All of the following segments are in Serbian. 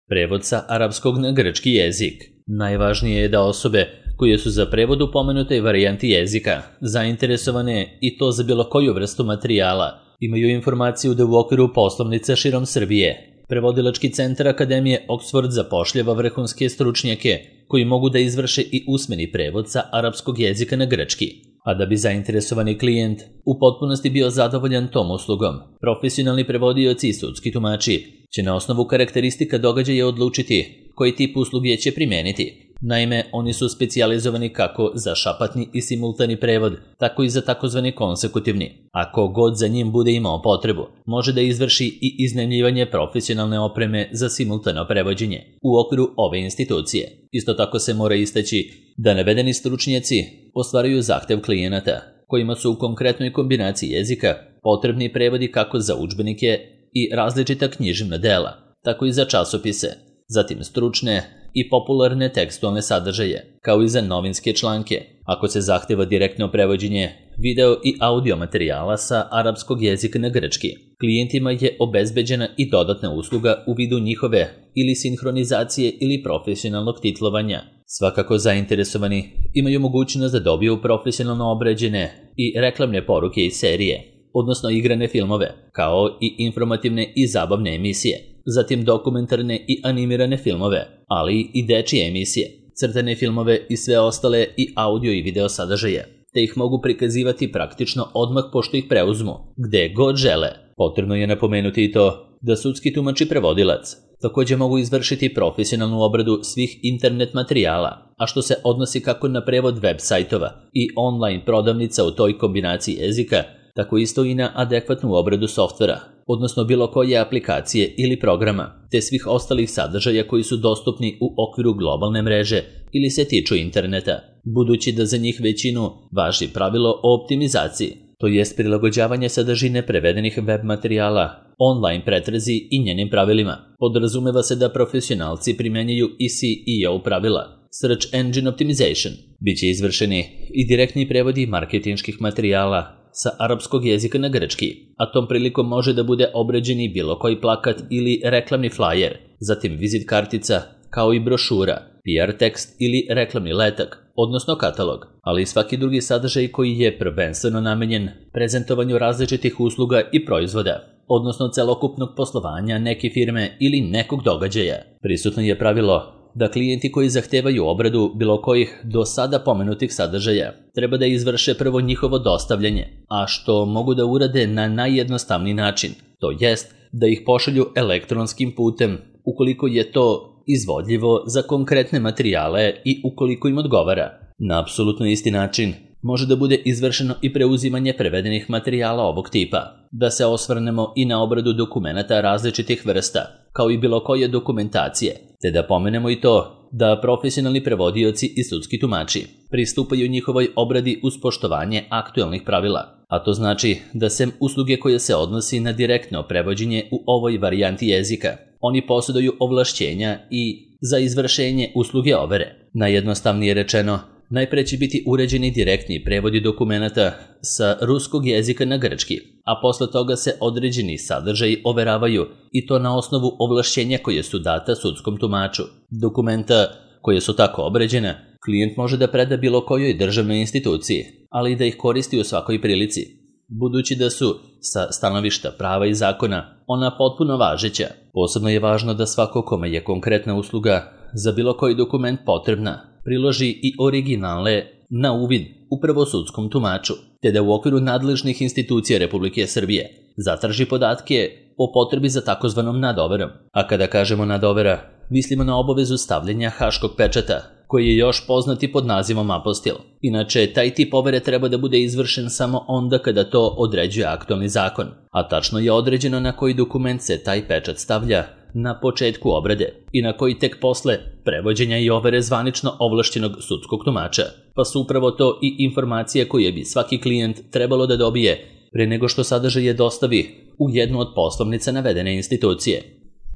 Prevod sa arapskog na grčki jezik. Najvažnije je da osobe koje su za prevod u pomenutoj varijanti jezika zainteresovane i to za bilo koju vrstu materijala imaju informaciju da u okviru poslovnica širom Srbije Prevodilački centar Akademije Oxford zapošljava vrhunske stručnjake koji mogu da izvrše i usmeni prevod sa arapskog jezika na grčki. A da bi zainteresovani klijent u potpunosti bio zadovoljan tom uslugom, profesionalni prevodioci i sudski tumači će na osnovu karakteristika događaja odlučiti koji tip usluge će primeniti. Naime, oni su specijalizovani kako za šapatni i simultani prevod, tako i za takozvani konsekutivni. Ako god za njim bude imao potrebu, može da izvrši i iznajmljivanje profesionalne opreme za simultano prevođenje u okviru ove institucije. Isto tako se mora istaći da navedeni stručnjaci ostvaruju zahtev klijenata, kojima su u konkretnoj kombinaciji jezika potrebni prevodi kako za udžbenike i različita književna dela, tako i za časopise, zatim stručne i popularne tekstualne sadržaje, kao i za novinske članke, ako se zahteva direktno prevođenje video i audio materijala sa arapskog jezika na grčki. Klijentima je obezbeđena i dodatna usluga u vidu njihove ili sinhronizacije ili profesionalnog titlovanja. Svakako zainteresovani imaju mogućnost da dobiju profesionalno obrađene i reklamne poruke iz serije, odnosno igrane filmove, kao i informativne i zabavne emisije, zatim dokumentarne i animirane filmove, ali i dečije emisije, crtane filmove i sve ostale i audio i video sadržaje, te ih mogu prikazivati praktično odmah pošto ih preuzmu, gde god žele. Potrebno je napomenuti i to da sudski tumač i prevodilac također mogu izvršiti profesionalnu obradu svih internet materijala, a što se odnosi kako na prevod web sajtova i online prodavnica u toj kombinaciji jezika, tako isto i na adekvatnu obradu softvera, odnosno bilo koje aplikacije ili programa, te svih ostalih sadržaja koji su dostupni u okviru globalne mreže ili se tiču interneta, budući da za njih većinu važi pravilo o optimizaciji, to jest prilagođavanje sadržine prevedenih web materijala online pretrazi i njenim pravilima. Podrazumeva se da profesionalci primenjuju i SEO pravila, Search Engine Optimization. Biće izvršeni i direktni prevodi marketinških materijala sa arapskog jezika na grčki, a tom prilikom može da bude obrađeni bilo koji plakat ili reklamni flajer, zatim vizit kartica, kao i brošura, PR tekst ili reklamni letak, odnosno katalog, ali i svaki drugi sadržaj koji je prvenstveno namenjen prezentovanju različitih usluga i proizvoda, odnosno celokupnog poslovanja neke firme ili nekog događaja. Prisutno je pravilo da klijenti koji zahtevaju obradu bilo kojih do sada pomenutih sadržaja treba da izvrše prvo njihovo dostavljanje, a što mogu da urade na najjednostavniji način, to jest da ih pošalju elektronskim putem ukoliko je to izvodljivo za konkretne materijale i ukoliko im odgovara. Na apsolutno isti način može da bude izvršeno i preuzimanje prevedenih materijala ovog tipa. Da se osvrnemo i na obradu dokumenata različitih vrsta, kao i bilo koje dokumentacije, te da pomenemo i to da profesionalni prevodioci i sudski tumači pristupaju njihovoj obradi uz poštovanje aktuelnih pravila, a to znači da sem usluge koje se odnosi na direktno prevođenje u ovoj varijanti jezika, oni posjeduju ovlašćenja i za izvršenje usluge overe. Najjednostavnije rečeno, najpre će biti uređeni direktni prevodi dokumenata sa ruskog jezika na grčki, a posle toga se određeni sadržaji overavaju i to na osnovu ovlašćenja koje su data sudskom tumaču. Dokumenta koje su tako obređena, klijent može da preda bilo kojoj državnoj instituciji, ali i da ih koristi u svakoj prilici, budući da su, sa stanovišta prava i zakona, ona potpuno važeća. Posebno je važno da svako kome je konkretna usluga za bilo koji dokument potrebna priloži i originale na uvid upravo sudskom tumaču, te da u okviru nadležnih institucija Republike Srbije zatraži podatke o potrebi za takozvanom nadoverom. A kada kažemo nadovera, mislimo na obavezu stavljanja haškog pečata, koji je još poznati pod nazivom apostil. Inače, taj tip overe treba da bude izvršen samo onda kada to određuje aktualni zakon, a tačno je određeno na koji dokument se taj pečat stavlja na početku obrade i na koji tek posle prevođenja i overe zvanično ovlašćenog sudskog tumača, pa su upravo to i informacije koje bi svaki klijent trebalo da dobije pre nego što sadržaje dostavi u jednu od poslovnica navedene institucije.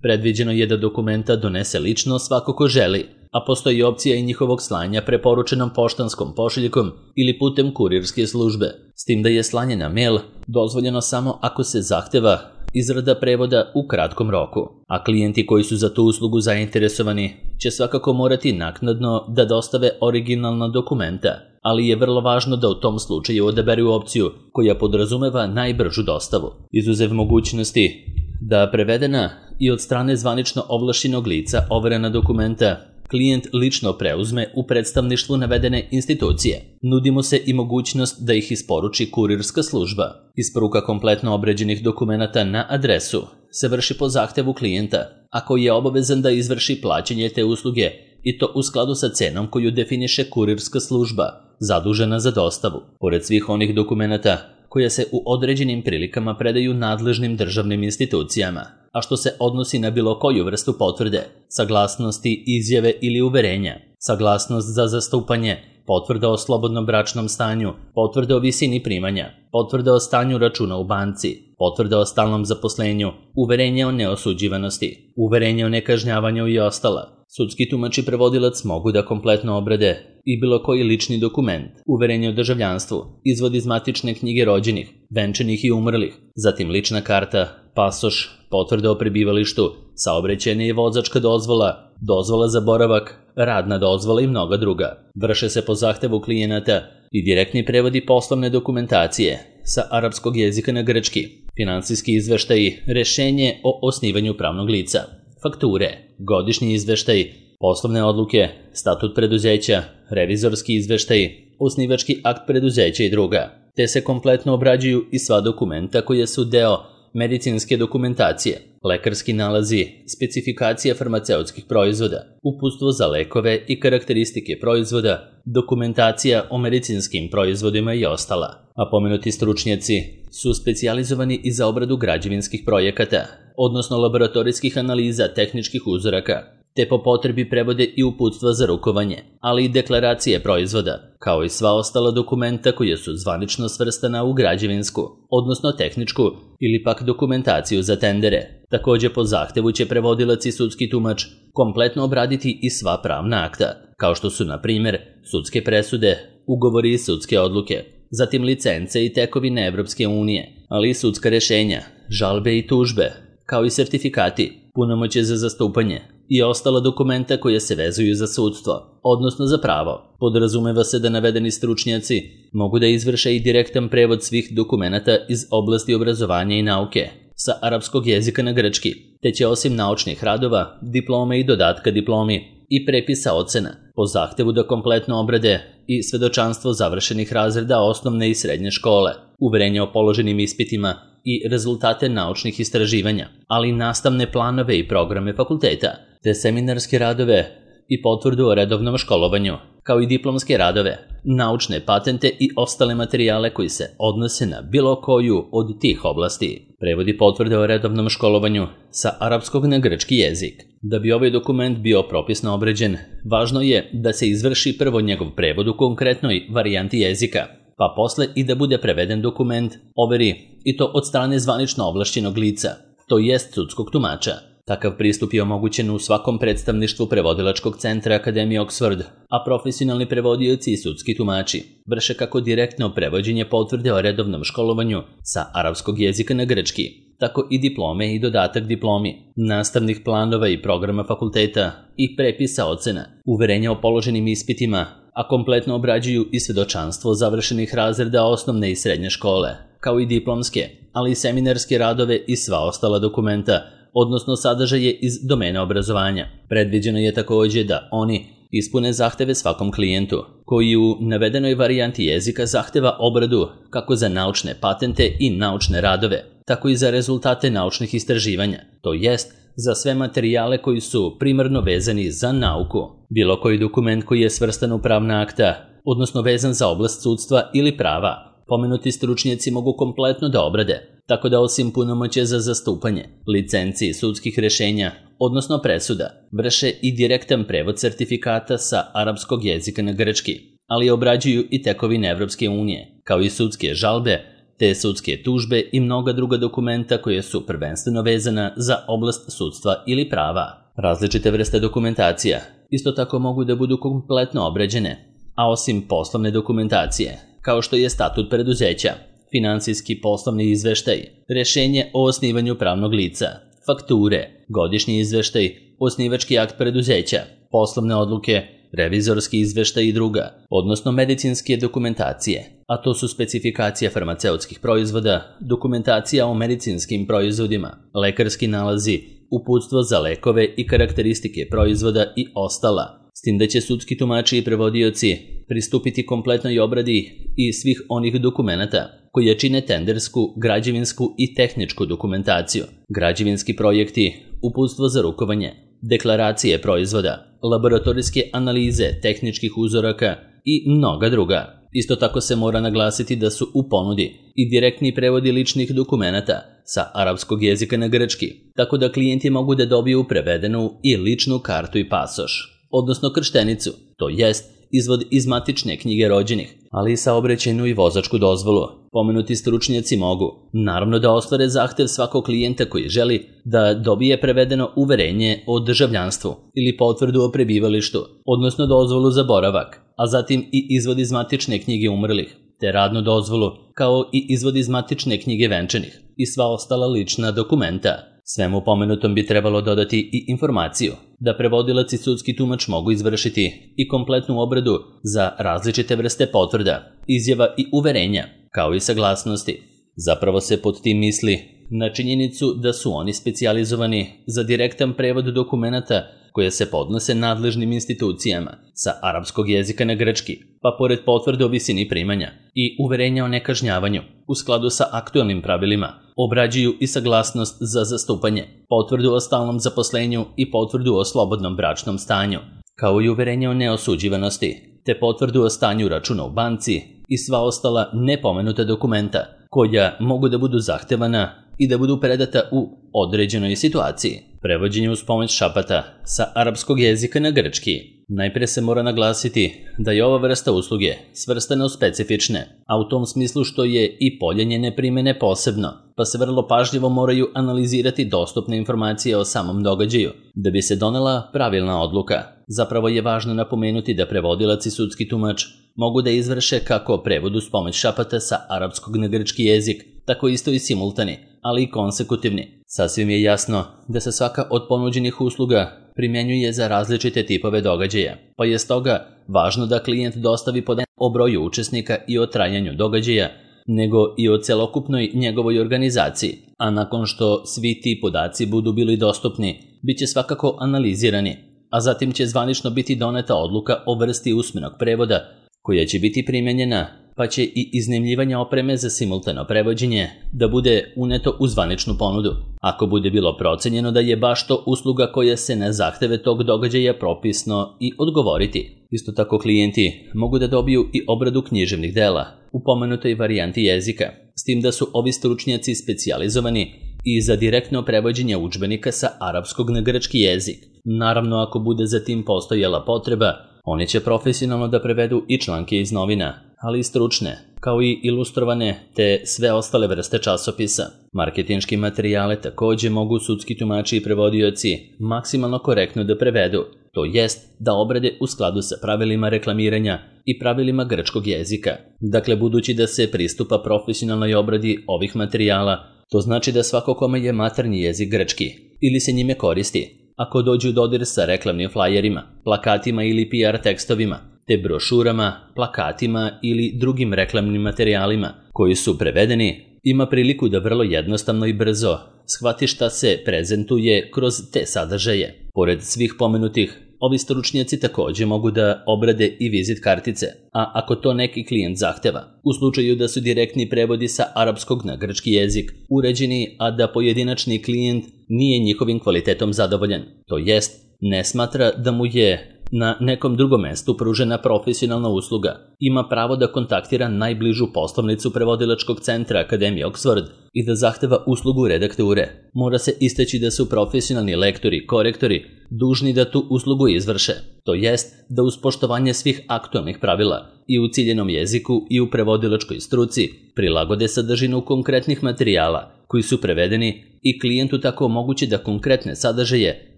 Predviđeno je da dokumenta donese lično svako ko želi, a postoji opcija i njihovog slanja preporučenom poštanskom pošiljkom ili putem kurirske službe, s tim da je slanje na mail dozvoljeno samo ako se zahteva izrada prevoda u kratkom roku, a klijenti koji su za tu uslugu zainteresovani će svakako morati naknadno da dostave originalna dokumenta, ali je vrlo važno da u tom slučaju odaberu opciju koja podrazumeva najbržu dostavu, izuzev mogućnosti da prevedena i od strane zvanično ovlašćenog lica overena dokumenta klijent lično preuzme u predstavništvu navedene institucije. Nudimo se i mogućnost da ih isporuči kurirska služba. Isporuka kompletno obređenih dokumenata na adresu se vrši po zahtevu klijenta, ako je obavezan da izvrši plaćanje te usluge i to u skladu sa cenom koju definiše kurirska služba, zadužena za dostavu. Pored svih onih dokumenata koje se u određenim prilikama predaju nadležnim državnim institucijama, a što se odnosi na bilo koju vrstu potvrde, saglasnosti, izjave ili uverenja, saglasnost za zastupanje, potvrda o slobodnom bračnom stanju, potvrda o visini primanja, potvrda o stanju računa u banci, potvrda o stalnom zaposlenju, uverenje o neosuđivanosti, uverenje o nekažnjavanju i ostala. Sudski tumač i prevodilac mogu da kompletno obrade i bilo koji lični dokument, uverenje o državljanstvu, izvod iz matične knjige rođenih, venčanih i umrlih, zatim lična karta, pasoš, potvrda o prebivalištu, saobraćajna i vozačka dozvola, dozvola za boravak, radna dozvola i mnoga druga. Vrše se po zahtevu klijenata i direktni prevodi poslovne dokumentacije sa arapskog jezika na grčki, finansijski izveštaji, rešenje o osnivanju pravnog lica, fakture, godišnji izveštaj, poslovne odluke, statut preduzeća, revizorski izveštaj, osnivački akt preduzeća i druga, te se kompletno obrađuju i sva dokumenta koje su deo medicinske dokumentacije, lekarski nalazi, specifikacija farmaceutskih proizvoda, uputstvo za lekove i karakteristike proizvoda, dokumentacija o medicinskim proizvodima i ostala. A pomenuti stručnjaci su specijalizovani i za obradu građevinskih projekata, odnosno laboratorijskih analiza tehničkih uzoraka, te po potrebi prevode i uputstva za rukovanje, ali i deklaracije proizvoda, kao i sva ostala dokumenta koja su zvanično svrstana u građevinsku, odnosno tehničku ili pak dokumentaciju za tendere. Također po zahtevu će prevodilac i sudski tumač kompletno obraditi i sva pravna akta, kao što su na primjer sudske presude, ugovori i sudske odluke, zatim licence i tekovine Evropske unije, ali i sudska rešenja, žalbe i tužbe, kao i sertifikati, punomoćje za zastupanje i ostala dokumenta koja se vezuju za sudstvo, odnosno za pravo. Podrazumeva se da navedeni stručnjaci mogu da izvrše i direktan prevod svih dokumenata iz oblasti obrazovanja i nauke sa arapskog jezika na grčki, te će osim naučnih radova, diplome i dodatka diplomi i prepisa ocena po zahtevu da kompletno obrade i svedočanstvo završenih razreda osnovne i srednje škole, uverenje o položenim ispitima i rezultate naučnih istraživanja, ali i nastavne planove i programe fakulteta, te seminarske radove i potvrdu o redovnom školovanju, kao i diplomske radove, naučne patente i ostale materijale koji se odnose na bilo koju od tih oblasti. Prevodi potvrde o redovnom školovanju sa arapskog na grčki jezik. Da bi ovaj dokument bio propisno obrađen, važno je da se izvrši prvo njegov prevod u konkretnoj varijanti jezika, pa posle i da bude preveden dokument, overi i to od strane zvanično ovlašćenog lica, to jest sudskog tumača. Takav pristup je omogućen u svakom predstavništvu prevodilačkog centra Akademije Oxford, a profesionalni prevodioci i sudski tumači vrše kako direktno prevođenje potvrde o redovnom školovanju sa arapskog jezika na grčki, tako i diplome i dodatak diplomi, nastavnih planova i programa fakulteta i prepisa ocena, uverenja o položenim ispitima, a kompletno obrađuju i svedočanstvo završenih razreda osnovne i srednje škole, kao i diplomske, ali i seminarske radove i sva ostala dokumenta, odnosno sadržaje iz domena obrazovanja. Predviđeno je također da oni ispune zahteve svakom klijentu, koji u navedenoj varijanti jezika zahteva obradu kako za naučne patente i naučne radove, tako i za rezultate naučnih istraživanja, to jest za sve materijale koji su primarno vezani za nauku. Bilo koji dokument koji je svrstan u pravna akta, odnosno vezan za oblast sudstva ili prava, pomenuti stručnjaci mogu kompletno da obrade, tako da osim punomoćja za zastupanje, licenci sudskih rešenja, odnosno presuda, vrše i direktan prevod sertifikata sa arapskog jezika na grčki, ali obrađuju i tekovine Evropske unije, kao i sudske žalbe, te sudske tužbe i mnoga druga dokumenta koje su prvenstveno vezana za oblast sudstva ili prava. Različite vrste dokumentacija isto tako mogu da budu kompletno obrađene, a osim poslovne dokumentacije, kao što je statut preduzeća, finansijski poslovni izveštaj, rešenje o osnivanju pravnog lica, fakture, godišnji izveštaj, osnivački akt preduzeća, poslovne odluke, revizorski izveštaj i druga, odnosno medicinske dokumentacije, a to su specifikacija farmaceutskih proizvoda, dokumentacija o medicinskim proizvodima, lekarski nalazi, uputstvo za lekove i karakteristike proizvoda i ostala, s tim da će sudski tumači i prevodioci pristupiti kompletnoj obradi i svih onih dokumenata koje čine tendersku, građevinsku i tehničku dokumentaciju, građevinski projekti, uputstvo za rukovanje, deklaracije proizvoda, laboratorijske analize tehničkih uzoraka i mnoga druga. Isto tako se mora naglasiti da su u ponudi i direktni prevodi ličnih dokumenata sa arapskog jezika na grčki, tako da klijenti mogu da dobiju prevedenu i ličnu kartu i pasoš, odnosno krštenicu, to jest izvod iz matične knjige rođenih, ali i saobraćajnu i vozačku dozvolu. Pomenuti stručnjaci mogu, naravno, da ostvare zahtev svakog klijenta koji želi da dobije prevedeno uverenje o državljanstvu ili potvrdu o prebivalištu, odnosno dozvolu za boravak, a zatim i izvod iz matične knjige umrlih, te radnu dozvolu, kao i izvod iz matične knjige venčanih i sva ostala lična dokumenta. Svemu pomenutom bi trebalo dodati i informaciju da prevodilac i sudski tumač mogu izvršiti i kompletnu obradu za različite vrste potvrda, izjava i uverenja, kao i saglasnosti. Zapravo se pod tim misli na činjenicu da su oni specijalizovani za direktan prevod dokumenata koje se podnose nadležnim institucijama sa arapskog jezika na grčki, pa pored potvrde o visini primanja i uverenja o nekažnjavanju, u skladu sa aktualnim pravilima, obrađuju i saglasnost za zastupanje, potvrdu o stalnom zaposlenju i potvrdu o slobodnom bračnom stanju, kao i uverenje o neosuđivanosti, te potvrdu o stanju računa u banci i sva ostala nepomenuta dokumenta koja mogu da budu zahtevana i da budu predata u određenoj situaciji. Prevođenje uz pomoć šapata sa arapskog jezika na grčki. Najpre se mora naglasiti da je ova vrsta usluge svrstana u specifične, a u tom smislu što je i polje njene primene posebno, pa se vrlo pažljivo moraju analizirati dostupne informacije o samom događaju, da bi se donela pravilna odluka. Zapravo je važno napomenuti da prevodilac i sudski tumač mogu da izvrše kako prevod uz pomoć šapata sa arapskog na grčki jezik, tako isto i simultani, ali i konsekutivni. Sasvim je jasno da se svaka od ponuđenih usluga primjenjuje za različite tipove događaja, pa je stoga važno da klijent dostavi podatke o broju učesnika i o trajanju događaja, nego i o celokupnoj njegovoj organizaciji, a nakon što svi ti podaci budu bili dostupni, bit će svakako analizirani, a zatim će zvanično biti doneta odluka o vrsti usmenog prevoda koja će biti primjenjena, pa će i iznajmljivanje opreme za simultano prevođenje da bude uneto u zvaničnu ponudu, ako bude bilo procenjeno da je baš to usluga koja se na zahteve tog događaja propisno i odgovoriti. Isto tako klijenti mogu da dobiju i obradu književnih dela u pomenutoj varijanti jezika, s tim da su ovi stručnjaci specijalizovani i za direktno prevođenje udžbenika sa arapskog na grčki jezik. Naravno, ako bude za tim postojala potreba, oni će profesionalno da prevedu i članke iz novina, ali i stručne, kao i ilustrovane te sve ostale vrste časopisa. Marketinški materijale takođe mogu sudski tumači i prevodioci maksimalno korektno da prevedu, to jest da obrade u skladu sa pravilima reklamiranja i pravilima grčkog jezika. Dakle, budući da se pristupa profesionalnoj obradi ovih materijala, to znači da svako kome je maternji jezik grčki ili se njime koristi, ako dođu u dodir sa reklamnim flajerima, plakatima ili PR tekstovima, te brošurama, plakatima ili drugim reklamnim materijalima koji su prevedeni, ima priliku da vrlo jednostavno i brzo shvati šta se prezentuje kroz te sadržaje. Pored svih pomenutih, ovi stručnjaci takođe mogu da obrade i vizit kartice, a ako to neki klijent zahteva, u slučaju da su direktni prevodi sa arapskog na grčki jezik uređeni, a da pojedinačni klijent nije njihovim kvalitetom zadovoljan, to jest ne smatra da mu je na nekom drugom mestu pružena profesionalna usluga, ima pravo da kontaktira najbližu poslovnicu prevodilačkog centra Akademije Oxford i da zahteva uslugu redakture. Mora se istaći da su profesionalni lektori i korektori dužni da tu uslugu izvrše, to jest da uz poštovanje svih aktualnih pravila i u ciljenom jeziku i u prevodilačkoj struci prilagode sadržinu konkretnih materijala koji su prevedeni i klijentu tako omogući da konkretne sadržaje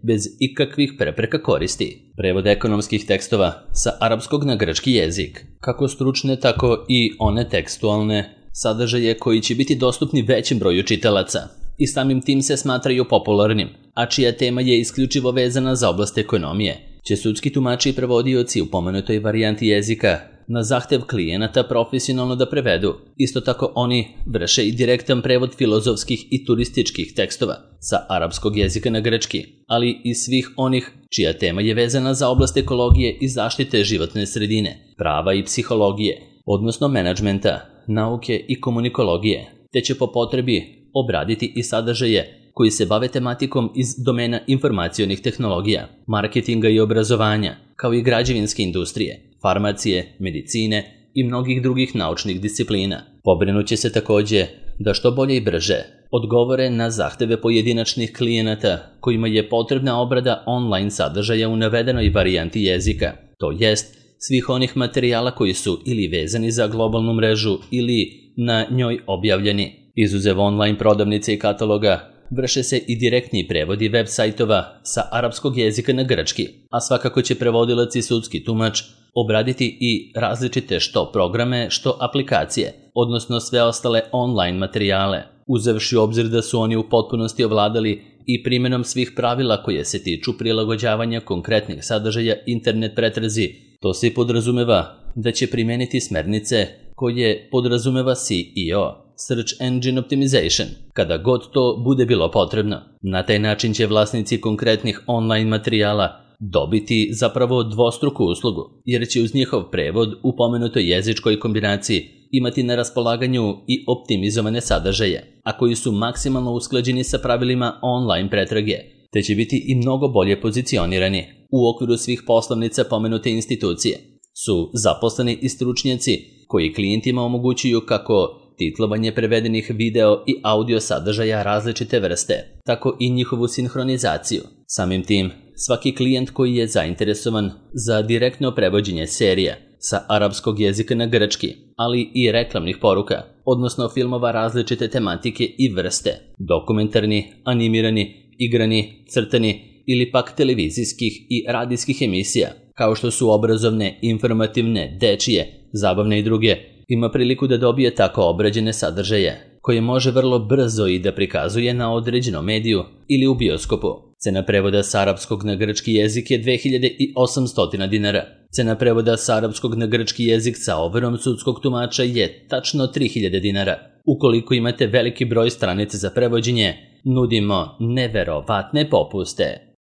bez ikakvih prepreka koristi. Prevod ekonomskih tekstova sa arapskog na grčki jezik, kako stručne tako i one tekstualne, sadržaje koji će biti dostupni većem broju čitalaca i samim tim se smatraju popularnim, a čija tema je isključivo vezana za oblast ekonomije, će sudski tumači i prevodioci u pomenutoj varijanti jezika na zahtev klijenata profesionalno da prevedu. Isto tako oni vrše i direktan prevod filozofskih i turističkih tekstova sa arapskog jezika na grčki, ali i svih onih čija tema je vezana za oblast ekologije i zaštite životne sredine, prava i psihologije, odnosno menadžmenta, nauke i komunikologije, te će po potrebi obraditi i sadržaje koji se bave tematikom iz domena informacionih tehnologija, marketinga i obrazovanja, kao i građevinske industrije, farmacije, medicine i mnogih drugih naučnih disciplina. Pobrinuće se takođe da što bolje i brže odgovore na zahteve pojedinačnih klijenata kojima je potrebna obrada online sadržaja u navedenoj varijanti jezika, to jest svih onih materijala koji su ili vezani za globalnu mrežu ili na njoj objavljeni. Izuzev online prodavnice i kataloga, vrše se i direktni prevodi web sajtova sa arapskog jezika na grčki, a svakako će prevodilac i sudski tumač obraditi i različite što programe, što aplikacije, odnosno sve ostale online materijale, uzevši u obzir da su oni u potpunosti ovladali i primjenom svih pravila koje se tiču prilagođavanja konkretnih sadržaja internet pretrazi. To se podrazumeva da će primeniti smernice koje podrazumeva SEO, Search Engine Optimization, kada god to bude bilo potrebno. Na taj način će vlasnici konkretnih online materijala dobiti zapravo dvostruku uslugu, jer će uz njihov prevod u pomenutoj jezičkoj kombinaciji imati na raspolaganju i optimizovane sadržaje, a koji su maksimalno usklađeni sa pravilima online pretrage, te će biti i mnogo bolje pozicionirani. U okviru svih poslovnica pomenute institucije su zaposleni i stručnjaci koji klijentima omogućuju kako titlovanje prevedenih video i audio sadržaja različite vrste, tako i njihovu sinhronizaciju. Samim tim, svaki klijent koji je zainteresovan za direktno prevođenje serija sa arapskog jezika na grčki, ali i reklamnih poruka, odnosno filmova različite tematike i vrste, dokumentarni, animirani, igrani, crtani ili pak televizijskih i radijskih emisija, kao što su obrazovne, informativne, dečije, zabavne i druge, ima priliku da dobije tako obrađene sadržaje, koje može vrlo brzo i da prikazuje na određenom mediju ili u bioskopu. Cena prevoda s arapskog na grčki jezik je 2800 dinara. Cena prevoda s arapskog na grčki jezik sa overom sudskog tumača je tačno 3000 dinara. Ukoliko imate veliki broj stranica za prevođenje, nudimo neverovatne popuste.